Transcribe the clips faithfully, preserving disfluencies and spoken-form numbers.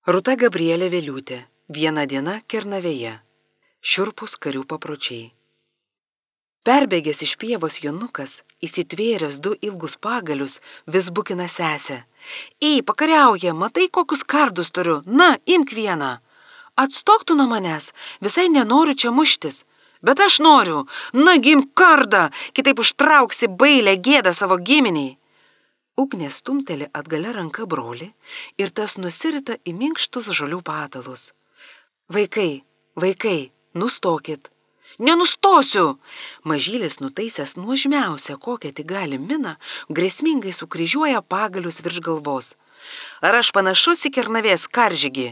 Rūta Gabrielė Vėliūtė. Viena diena Kernavėje. Šiurpūs karių papročiai. Perbėgęs iš pievos jonukas, įsitvėręs du ilgus pagalius, vis bukina sesę. Ei, pakariauja, matai, kokius kardus turiu, na, imk vieną. Atstok tu nuo manęs, visai nenoriu čia muštis. Bet aš noriu, na, gimk kardą, kitaip užtrauksi bailę gėdą savo giminiai. Ugnė stumteli atgalia ranka brolį ir tas nusirita į minkštus žolių patalus. Vaikai, vaikai, nustokit. Nenustosiu! Mažylis nutaisęs nuožmiausią, kokią tik gali miną, grėsmingai sukryžiuoja pagalius virš galvos. Ar aš panašus į Kernavės karžygį?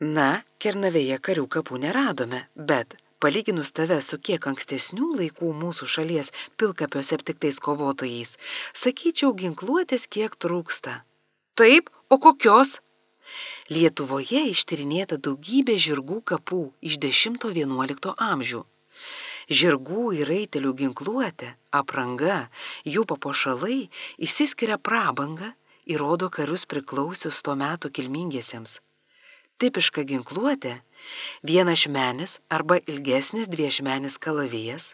Na, Kernavėje karių kapų neradome, bet palyginus tave su kiek ankstesnių laikų mūsų šalies pilkapiuose aptiktais kovotojais, sakyčiau, ginkluotės kiek trūksta. Taip, o kokios? Lietuvoje ištyrinėta daugybė žirgų kapų iš dešimto vienuolikto amžių. Žirgų ir raitelių ginkluotė, apranga, jų papuošalai išsiskiria prabanga ir rodo karius priklausius to meto kilmingiesiems. Tipiška ginkluotė – vienašmenis arba ilgesnis dviešmenis kalavijas,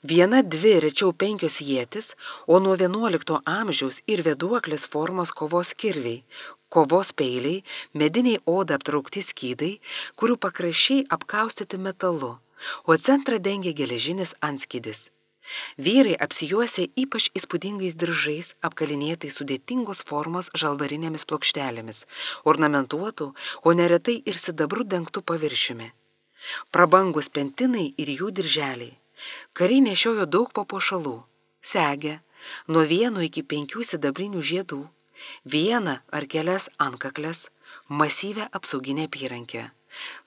viena dvi rečiau penkios ietis, o nuo vienuolikto amžiaus ir vėduoklės formos kovos kirviai, kovos peiliai, mediniai oda aptraukti skydai, kurių pakraščiai apkaustyti metalu, o centrą dengia geležinis antskydis. Vyrai apsijuosia ypač įspūdingais diržais, apkalinėtai sudėtingos formos žalvarinėmis plokštelėmis, ornamentuotų, o neretai ir sidabru dengtų paviršiumi. Prabangus pentinai ir jų dirželiai. Kariai nešiojo daug papuošalų, segę, nuo vieno iki penkių sidabrinių žiedų, vieną ar kelias antkaklės, masyvę apsauginę apyrankę,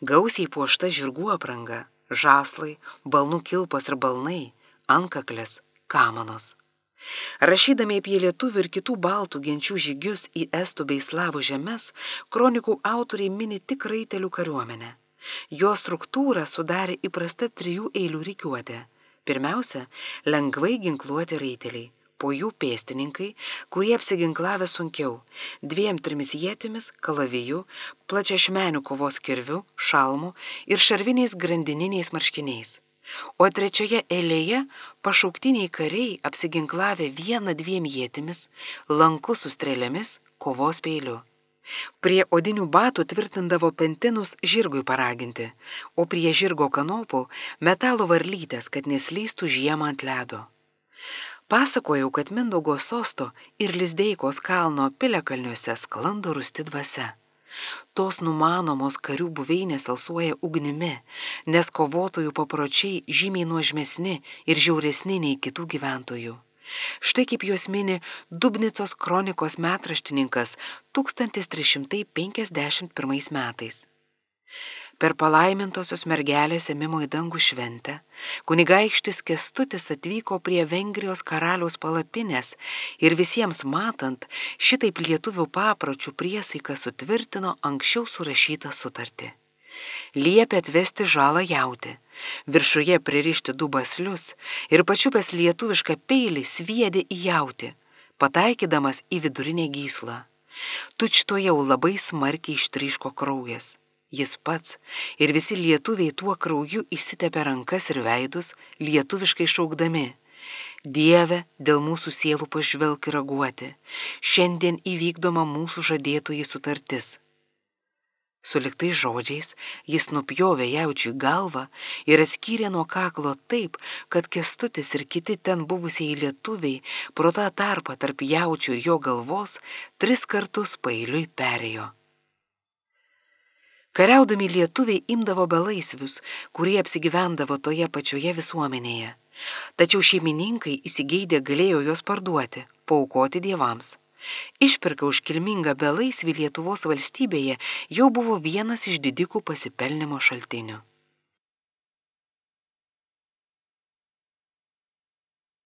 gausiai puošta žirgų apranga, žąslai, balnų kilpos ir balnai, antkaklės, kamanos. Rašydami apie lietuvių ir kitų baltų genčių žygius į estų bei slavų žemes, kronikų autoriai mini tik raitelių kariuomenę. Jo struktūrą sudarė įprasta trijų eilių rikiuotė. Pirmiausia, lengvai ginkluoti raiteliai, po jų pėstininkai, kurie apsiginklavę sunkiau, dviem trimis ietimis, kalaviju, plačiašmenių kovos kirviu, šalmu ir šarviniais grandininiais marškiniais. O trečioje eilėje pašauktiniai kariai apsiginklavę vieną dviem ietimis, lanku su strėlėmis, kovos peiliu. Prie odinių batų tvirtindavo pentinus žirgui paraginti, o prie žirgo kanopų metalo varlytės, kad neslystų žiemą ant ledo. Pasakojau, kad Mindaugo sosto ir Lizdeikos kalno piliakalniuose sklando rūsti dvasia. Tos numanomos karių buveinės alsuoja ugnimi, nes kovotojų papročiai žymiai nuožmesni ir žiauresni nei kitų gyventojų. Štai kaip juos mini Dubnicos kronikos metraštininkas tūkstantis trys šimtai penkiasdešimt pirmais metais. Per palaimintosios mergelės ėmimo į dangų šventę, kunigaikštis Kęstutis atvyko prie Vengrijos karaliaus palapinės ir visiems matant, šitaip lietuvių papročių priesaiką sutvirtino anksčiau surašytą sutartį. Liepė atvesti žalą jautį, viršuje pririšti du baslius ir pačiupęs lietuvišką peilį sviedė į jautį, pataikydamas į vidurinę gyslą. Tučtuojau labai smarkiai ištryško kraujas. Jis pats ir visi lietuviai tuo krauju išsitepė rankas ir veidus, lietuviškai šaukdami: Dieve, dėl mūsų sielų pažvelk ir raguoti, šiandien įvykdoma mūsų žadėtoji sutartis. Suliktais žodžiais jis nupjovė jaučiui galvą ir atskyrė nuo kaklo taip, kad Kęstutis ir kiti ten buvusiai lietuviai pro tą tarpą tarp jaučių ir jo galvos tris kartus paeiliui perėjo. Kariaudami lietuviai imdavo belaisvius, kurie apsigyvendavo toje pačioje visuomenėje. Tačiau šeimininkai įsigeidę galėjo juos parduoti, paaukoti dievams. Išpirka už kilmingą belaisvį Lietuvos valstybėje jau buvo vienas iš didikų pasipelnimo šaltinių.